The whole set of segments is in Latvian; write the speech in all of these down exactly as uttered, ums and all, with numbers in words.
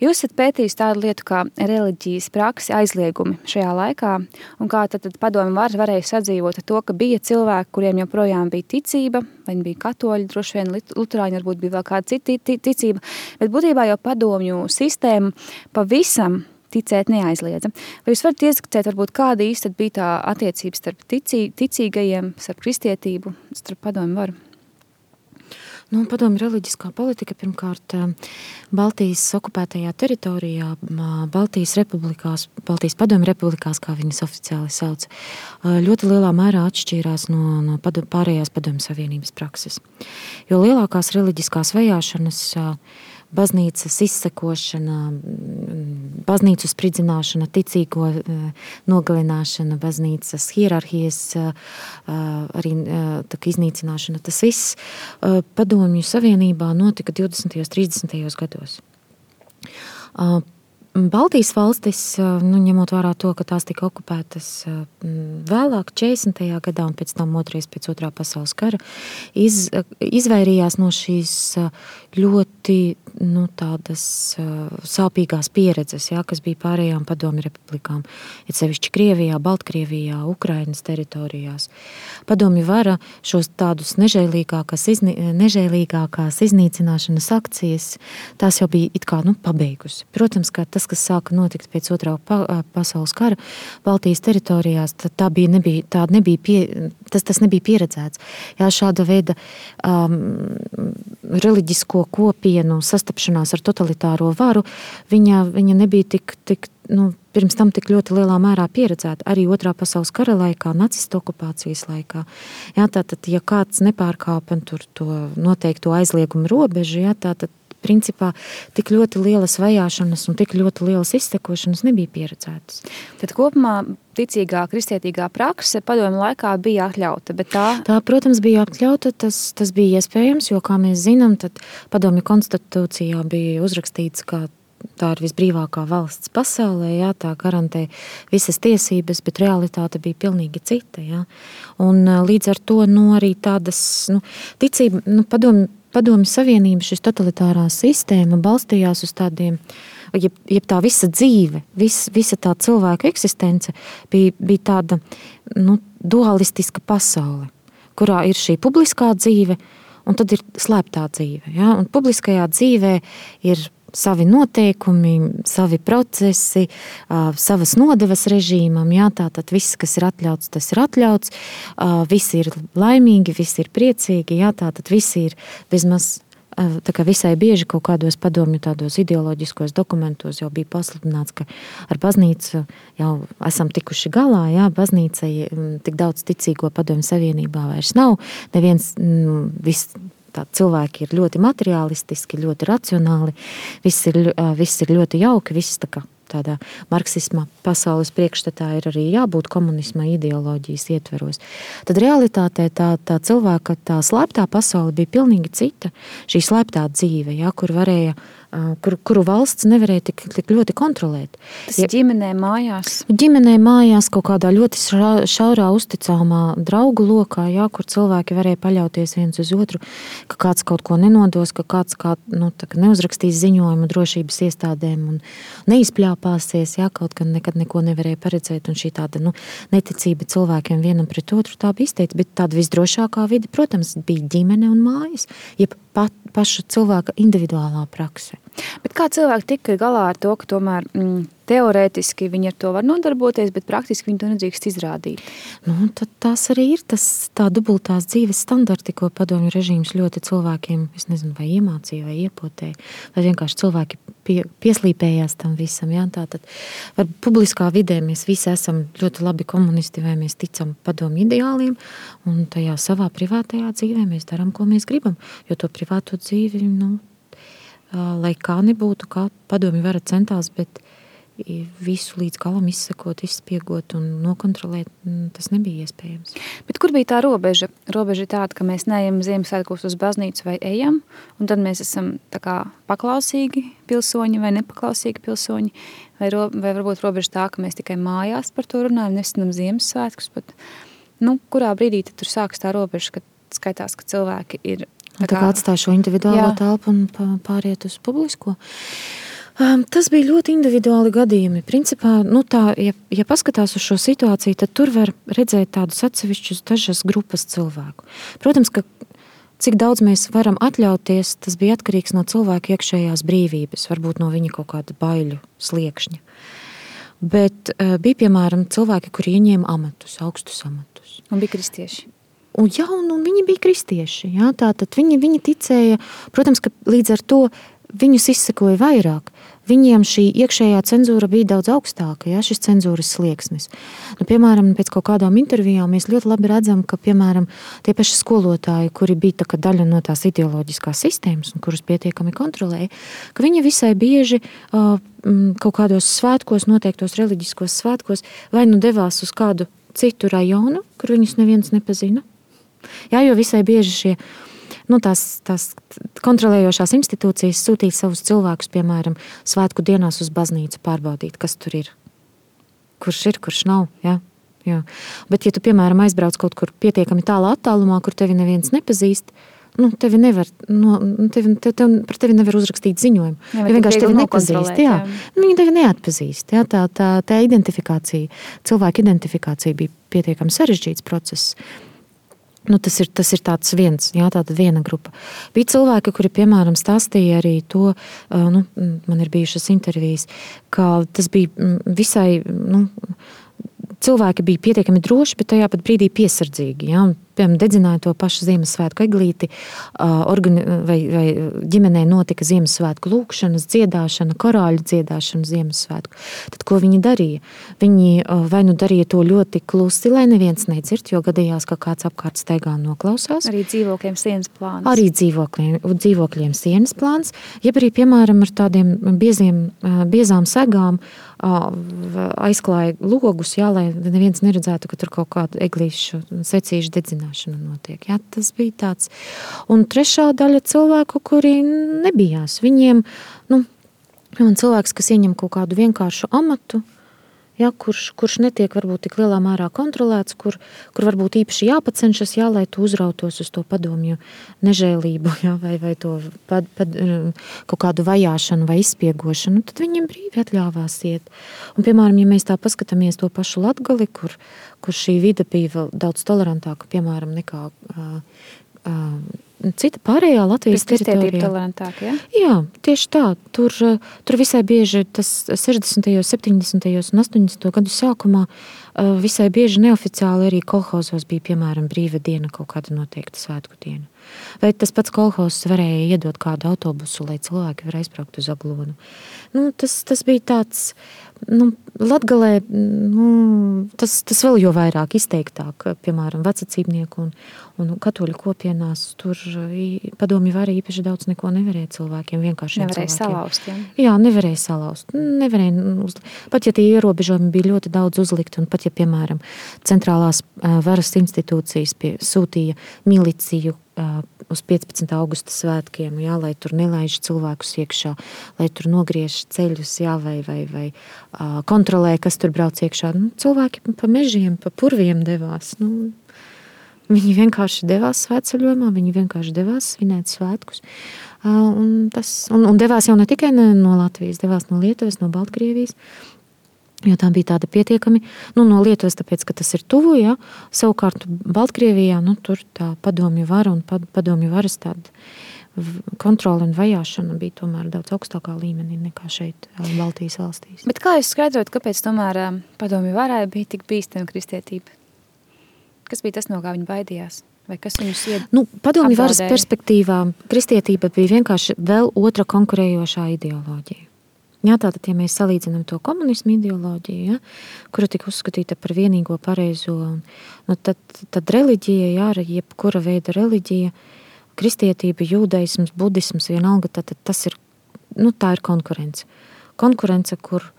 Jūs esat pētījis tādu lietu kā reliģijas praksi aizliegumi šajā laikā, un kā tad, tad padomi var, varēja sadzīvot ar to, ka bija cilvēki, kuriem joprojām bija ticība, vai viņi bija katoļi, droši vien luterāņi, varbūt bija vēl kāda cita ticība, bet būtībā jau padomju sistēma pavisam ticēt neaizliedza. Vai jūs varat ieskicēt, varbūt kāda īsti bija tā attiecības starp ticī, ticīgajiem, starp kristietību, starp padomju varu? Nu, padomju reliģiskā politika pirmkārt Baltijas okupētajā teritorijā, Baltijas republikās, Baltijas padomju republikās, kā viņas oficiāli sauc, ļoti lielā mērā atšķīrās no, no padom, pārējās padomju savienības prakses. Jo lielākās reliģiskās vajāšanas, baznīcas izsekošana, baznīcu spridzināšana, ticīgo nogalināšana, baznīcas hierarhijas arī tā, iznīcināšana, tas viss padomju savienībā notika divdesmitajos, trīsdesmitajos gados. Baltijas valstis, nu, ņemot vērā to, ka tās tika okupētas vēlāk, četrdesmitajā gadā un pēc tam otrais pēc otrā pasaules kara, iz, izvairījās no šīs ļoti nu, tādas sāpīgās pieredzes, jā, kas bija pārējām padomju republikām, it sevišķi Krievijā, Baltkrievijā, Ukrainas teritorijās. Padomju vara šos tādus nežēlīgākās, izni, nežēlīgākās iznīcināšanas akcijas, tās jau bija it kā nu, pabeigusi. Protams, ka tas, kas sāka notikt pēc otrā pa, pasaules kara Baltijas teritorijās, tā bija, nebija, tā nebija pie, tas, tas nebija pieredzēts. Jā, šāda veida um, reliģisko kopienu sastapšanās ar totalitāro varu, viņa, viņa nebija tik, tik nu, pirms tam tik ļoti lielā mērā pieredzēta. Arī otrā pasaules kara laikā, nacistu okupācijas laikā. Jā, tātad, ja kāds nepārkāpa tur to noteikto aizliegumu robežu, jā, tātad principā tik ļoti lielas vajāšanas un tik ļoti lielas izsekošanas nebija pieredzētas. Tad kopumā ticīgā, kristietīgā prakse padomju laikā bija atļauta, bet tā... Tā, protams, bija atļauta, tas, tas bija iespējams, jo, kā mēs zinām, tad padomju konstitūcijā bija uzrakstīts, ka tā ir visbrīvākā valsts pasaulē, jā, tā garantē visas tiesības, bet realitāte bija pilnīgi cita, jā. Un līdz ar to, nu, arī tādas, nu, ticība, nu, padomju Padomju Savienība, šis totalitārā sistēma balstījās uz tādiem, jeb, jeb tā visa dzīve, vis, visa tā cilvēka eksistence bija, bija tāda nu, dualistiska pasaule, kurā ir šī publiskā dzīve un tad ir slēptā dzīve. Ja? Un publiskajā dzīvē ir savi noteikumi, savi procesi, savas nodevas režīmam, jā, tātad viss, kas ir atļauts, tas ir atļauts, visi ir laimīgi, visi ir priecīgi, jā, tātad visi ir bezmaz, tā kā visai bieži kaut kādos padomju tādos ideoloģiskos dokumentos jau bija pasludināts, ka ar baznīcu jau esam tikuši galā, jā, baznīca tik daudz ticīgo padomju savienībā vairs nav, neviens viss, tā cilvēki ir ļoti materiālistiski, ļoti racionāli, viss ir, viss ir ļoti jauki, viss tā kā tādā marksisma pasaules priekšstatā ir arī jābūt komunisma ideoloģijas ietveros. Tad realitātē tā, tā cilvēka, tā slēptā pasaule bija pilnīgi cita, šī slēptā dzīve, jā, kur varēja, kur, kuru valsts nevarēja tik, tik ļoti kontrolēt. Tas ja, ģimenē mājās? Ģimenē mājās kaut kādā ļoti šaurā uzticāmā draugu lokā, jā, kur cilvēki varēja paļauties viens uz otru, ka kāds kaut ko nenodos, ka kāds kā, nu, tā, ka neuzrakstīs ziņojumu drošības iestādēm un neizpļāpāsies, jā, kaut gan nekad neko nevarēja paredzēt, un šī tāda, nu, neticība cilvēkiem vienam pret otru, tā bija izteikti, bet tāda visdrošākā vide, protams, bija ģimene un mājas, jeb pat, paša cilvēka individuālā prakse. Bet kā cilvēki tika galā ar to, ka tomēr mm, teorētiski viņi ar to var nodarboties, bet praktiski viņi to nedrīkst izrādīt? Nu, tad tās arī ir tas, tā dubultās dzīves standarti, ko padomju režīms ļoti cilvēkiem, es nezinu, vai iemācīja, vai iepotēja, vai vienkārši cilvēki pie, pieslīpējās tam visam. Jā? Tātad var publiskā vidē mēs visi esam ļoti labi komunisti, vai mēs ticam padomju ideāliem, un tajā savā privātajā dzīvē mēs darām, ko mēs gribam, jo to privāto dzīvi, nu, lai kā nebūtu, kā padomju vara centās, bet visu līdz galam izsekot, izspiegot un nokontrolēt, tas nebija iespējams. Bet kur bija tā robeža? Robeža ir tāda, ka mēs neejam Ziemassvētkos uz baznīcu vai ejam, un tad mēs esam tā kā paklausīgi pilsoņi vai nepaklausīgi pilsoņi, vai, ro, vai varbūt robeža tā, ka mēs tikai mājās par to runājam, nesvinam Ziemassvētkus, bet nu, kurā brīdī tad tur sāks tā robeža, kad skaitās, ka cilvēki ir Tā kā, tā kā atstāj šo individuālo jā. telpu un pāriet uz publisko. Um, tas bija ļoti individuāli gadījumi. Principā, nu tā, ja, ja paskatās uz šo situāciju, tad tur var redzēt tādus atsevišķus dažas grupas cilvēku. Protams, ka cik daudz mēs varam atļauties, tas bija atkarīgs no cilvēka iekšējās brīvības, varbūt no viņa kaut kāda baiļu sliekšņa. Bet uh, bija, piemēram, cilvēki, kuri ieņēma amatus, augstus amatus. Un bija kristieši. Un, jā, un, un viņi bija kristieši. Jā, tātad viņi, viņi ticēja, protams, ka līdz ar to viņus izsekoja vairāk. Viņiem šī iekšējā cenzūra bija daudz augstāka, jā, šis cenzūras slieksnis. Nu, piemēram, pēc kaut kādām intervijām mēs ļoti labi redzam, ka, piemēram, tie paši skolotāji, kuri bija tā kā daļa no tās ideoloģiskās sistēmas un kurus pietiekami kontrolēja, ka viņi visai bieži uh, kaut kādos svētkos, noteiktos reliģiskos svētkos, vai nu devās uz kādu citu rajonu, kur viņus neviens nepazina. Jā, jo visai bieži šie Nu, tās, tās kontrolējošās institūcijas sūtīja savus cilvēkus, piemēram, svētku dienās uz baznīcu pārbaudīt, kas tur ir. Kurš ir, kurš nav. Ja? Jā. Bet, ja tu, piemēram, aizbrauc kaut kur pietiekami tālā attālumā, kur tevi neviens nepazīst, nu, tevi nevar, no, tevi, tev, tev, par tevi nevar uzrakstīt ziņojumu. Jā, ja vienkārši tevi nepazīst. Jā. Jā. Viņi tevi neatpazīst. Jā. Tā, tā, tā identifikācija, cilvēka identifikācija bija pietiekami sarežģīts process. Nu, tas, ir, tas ir tāds viens, jā, tāda viena grupa. Bija cilvēki, kuri, piemēram, stāstīja arī to, nu, man ir bijušas intervijas, ka tas bija visai, nu, cilvēki bija pietiekami droši, bet tajā pat brīdī piesardzīgi, jā. Piemēram, dedzināja to pašu Ziemassvētku eglīti, organi, vai, vai ģimenē notika Ziemassvētku lūkšanas, dziedāšana, korāļu dziedāšana Ziemassvētku. Tad, ko viņi darīja? Viņi vai nu darīja to ļoti klusi, lai neviens nedzird, jo gadījās, ka kāds apkārt steigā noklausās. Arī dzīvokļiem sienas plāns. Arī dzīvokļiem, dzīvokļiem sienas plāns, jeb arī, piemēram, ar tādiem bieziem, biezām segām aizklāja logus, jā, lai neviens neredzētu, ka tur kaut kādu eglīšu secīšu dedzināšana notiek. Jā, tas bija tāds. Un trešā daļa cilvēku, kuri nebijās. Viņiem, nu, cilvēks, kas ieņem kaut kādu vienkāršu amatu, jā, kurš, kurš netiek varbūt tik lielā mērā kontrolēts, kur, kur varbūt īpaši jāpacenšas, jā, lai tu uzrautos uz to padomju nežēlību, jā, vai, vai to pad, pad, kaut kādu vajāšanu vai izspiegošanu, tad viņiem brīvi atļāvās iet. Un, piemēram, ja mēs tā paskatāmies to pašu Latgali, kur, kur šī vide bija vēl daudz tolerantāka, piemēram, nekā uh, uh, cita pārējā Latvijas teritorijā. Tolerantāk, ja? Jā, tieši tā. Tur, tur visai bieži tas sešdesmitajos, septiņdesmitajos un astoņdesmito gadu sākumā visai bieži neoficiāli arī kolhozos bija, piemēram, brīva diena, kaut kāda noteikta svētku diena. Vai tas pats kolhozs varēja iedot kādu autobusu, lai cilvēki var aizbraukt uz Aglonu. Nu, tas, tas bija tāds, nu, Latgalē, nu, tas, tas vēl jo vairāk izteiktāk, piemēram, vecacībnieku un, un katoļu kopienās, tur padomju vara īpaši daudz neko nevarēja cilvēkiem, vienkāršiem nevarēja cilvēkiem. Salauzt, ja? Jā, nevarēja salauzt. Nevarēja uz... Pat ja tie ierobežojumi bija ļoti daudz uzlikt, un pat ja, piemēram, centrālās varas institūcijas pie, sūtīja miliciju uz piecpadsmitā augusta svētkiem, jā, lai tur nelaiž cilvēkus iekšā, lai tur nogriež ceļus, jā, vai, vai, vai uh, kontrolē, kas tur brauc iekšā. Nu, cilvēki pa mežiem, pa purviem devās. Nu, viņi vienkārši devās svētceļojumā, viņi vienkārši devās svinēt svētkus. Uh, un, tas, un, un devās jau ne tikai no Latvijas, devās no Lietuvas, no Baltkrievijas, jo tā bija tāda pietiekami, nu, no Lietuvas, tāpēc, ka tas ir tuvu, ja, savukārt Baltkrievijā, nu, tur tā padomju vara un padomju varas tāda kontrole un vajāšana bija tomēr daudz augstākā līmenī nekā šeit Baltijas valstīs. Bet kā jūs skaidrot, kāpēc tomēr padomju varai bija tik bīstama kristietība? Kas bija tas, no kā viņi baidījās? Vai kas viņus ied... Nu, padomju varas perspektīvā kristietība bija vienkārši vēl otra konkurējošā ideoloģija. Jā, tātad, ja mēs salīdzinām to komunismu ideoloģiju, ja, kura tika uzskatīta par vienīgo pareizo, un, nu, tad, tad reliģija, jā, jebkura veida reliģija, kristietība, jūdaisms, budisms, vienalga, tad, tad tas ir, nu, tā ir konkurence. Konkurence, kur,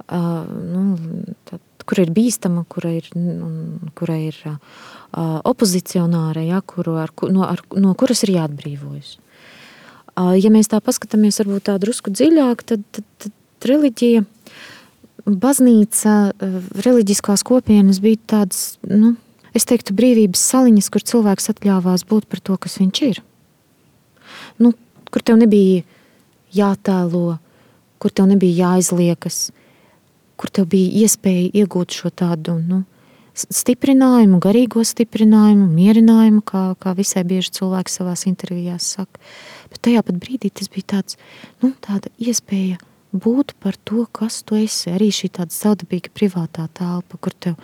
uh, nu, tad, kur ir bīstama, kura ir, kura ir uh, opozicionāra, ja, kuru, ar, no, ar, no kuras ir jāatbrīvojas. Ja mēs tā paskatāmies varbūt tā drusku dziļāk, tad, tad, tad reliģija, baznīca, reliģiskās kopienas bija tādas, nu, es teiktu, brīvības saliņas, kur cilvēks atļāvās būt par to, kas viņš ir. Nu, kur tev nebija jātēlo kur tev nebija jāizliekas, kur tev bija iespēja iegūt šo tādu, nu, stiprinājumu, garīgo stiprinājumu, mierinājumu, kā, kā visai bieži cilvēki savās intervijās saka. Bet tajā pat brīdī tas bija tāds, nu, tāda iespēja būt par to, kas tu esi. Arī šī tāda savdabīga privātā telpa, kur tev,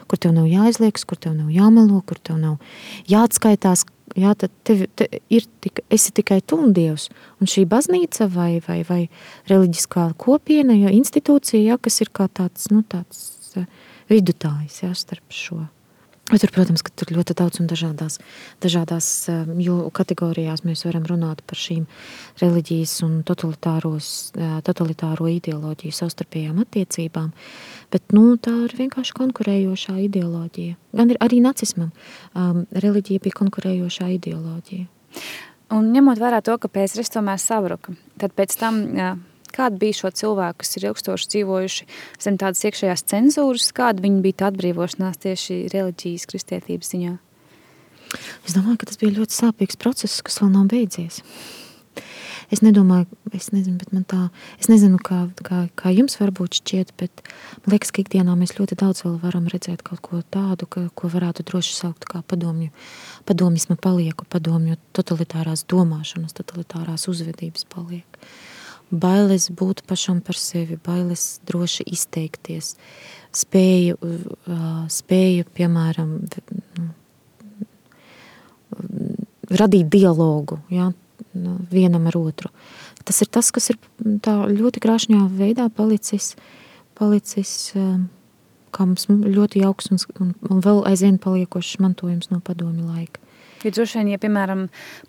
kur tev nav jāizliekas, kur tev nav jāmelo, kur tev nav jāatskaitās. Jā, tad tev, te ir tik, esi tikai tu un Dievs. Un šī baznīca vai, vai, vai reliģiskā kopiena, ja, institūcija, ja, kas ir kā tāds, nu, tāds vidutājs, ja, starp šo. Bet tur, protams, ka tur ļoti daudz un dažādās, dažādās kategorijās mēs varam runāt par šīm reliģijas un totalitāro ideoloģiju savstarpējām attiecībām, bet, nu, tā ir vienkārši konkurējošā ideoloģija. Gan ir arī nacismam. Um, reliģija bija konkurējošā ideoloģija. Un ņemot vērā to, ka Pēteris tomēr sabruka, tad pēc tam... Jā, kāda bija šo cilvēku, kas ir ilgstoši dzīvojuši zem tādas iekšējās cenzūras, kāda viņi bija tā atbrīvošanās tieši reliģijas, kristietības ziņā? Es domāju, ka tas bija ļoti sāpīgs process, kas vēl nav beidzies. Es nedomāju, es nezinu, bet man tā, es nezinu, kā, kā, kā jums varbūt šķiet, bet man liekas, ka ikdienā mēs ļoti daudz vēl varam redzēt kaut ko tādu, ka, ko varētu droši saukt kā padomju, padomisma palieku, padomju totalitārās domāšanas, totalitārās uzvedības palieku. Bailes būt pašam par sevi, bailes droši izteikties, spēju, spēju piemēram, radīt dialogu, ja, vienam ar otru. Tas ir tas, kas ir tā ļoti krāšņā veidā palicis, palicis kā mums ļoti jauks un, un, un vēl aizvien paliekošs mantojums no padomju laika. Jo droši vien, ja, piemēram,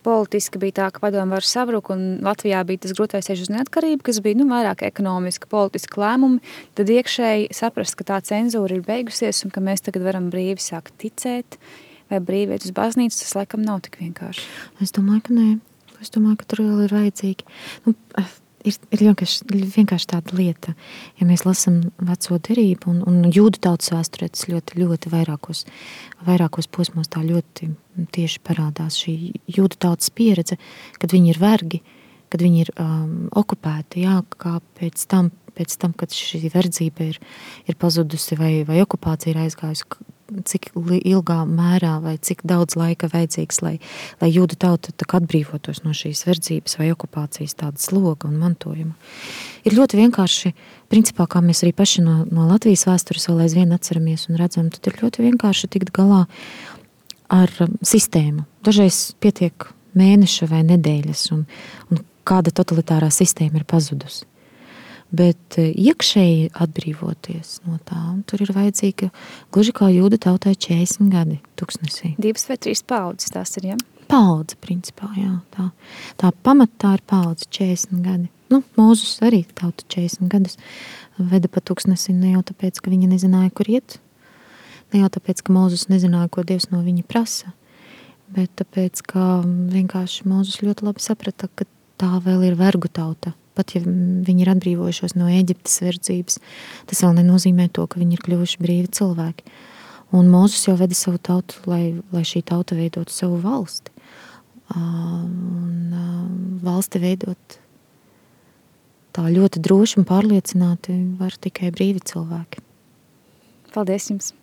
politiski bija tā, ka padomu varu sabruka un Latvijā bija tas grūtais ceļš uz neatkarību, kas bija, nu, vairāk ekonomiski, politiski lēmumi, tad iekšēji saprast, ka tā cenzūra ir beigusies un ka mēs tagad varam brīvi sākt ticēt vai brīvi iet uz baznīcu, tas laikam nav tik vienkārši. Es domāju, ka nē. Es domāju, ka tur vēl ir vajadzīgi. Nu, ir, ir vienkārši, vienkārši tāda lieta, ja mēs lasam veco derību un, un jūdu tautas vēsturē, tas ļoti, ļoti vairākos, vairākos posmos tā ļoti tieši parādās šī jūdu tautas pieredze, kad viņi ir vergi, kad viņi ir um, okupēti, jā, kā pēc tam, pēc tam, kad šī verdzība ir, ir pazudusi vai, vai okupācija ir aizgājusi, cik ilgā mērā vai cik daudz laika vajadzīgs, lai, lai jūdu tauta atbrīvotos no šīs verdzības vai okupācijas tāda sloga un mantojuma. Ir ļoti vienkārši, principā, kā mēs arī paši no, no Latvijas vēstures vēl aizvien atceramies un redzam, tad ir ļoti vienkārši tikt galā ar sistēmu. Dažreiz pietiek mēneša vai nedēļas un, un kāda totalitārā sistēma ir pazudusi. Bet iekšēji atbrīvoties no tā, tur ir vajadzīga gluži kā jūdu tautai četrdesmit gadi tuksnesī. Divas vai trīs paudzes tās ir, ja? Paudze, principā, jā. Tā, tā pamatā ir paudze četrdesmit gadi. Nu, Mūzus arī tauta četrdesmit gadus veda pa tuksnesi ne jau tāpēc, ka viņi nezināja, kur iet, ne jau tāpēc, ka Mūzus nezināja, ko Dievs no viņa prasa, bet tāpēc, ka vienkārši Mūzus ļoti labi saprata, ka tā vēl ir vergu tauta. Pat ja viņi ir atbrīvojušos no Eģiptes verdzības, tas vēl nenozīmē to, ka viņi ir kļuvuši brīvi cilvēki. Un Mūzus jau veda savu tautu, lai, lai šī tauta veidotu savu valsti. Un valsti veidot tā ļoti droši un pārliecināti var tikai brīvi cilvēki. Paldies jums!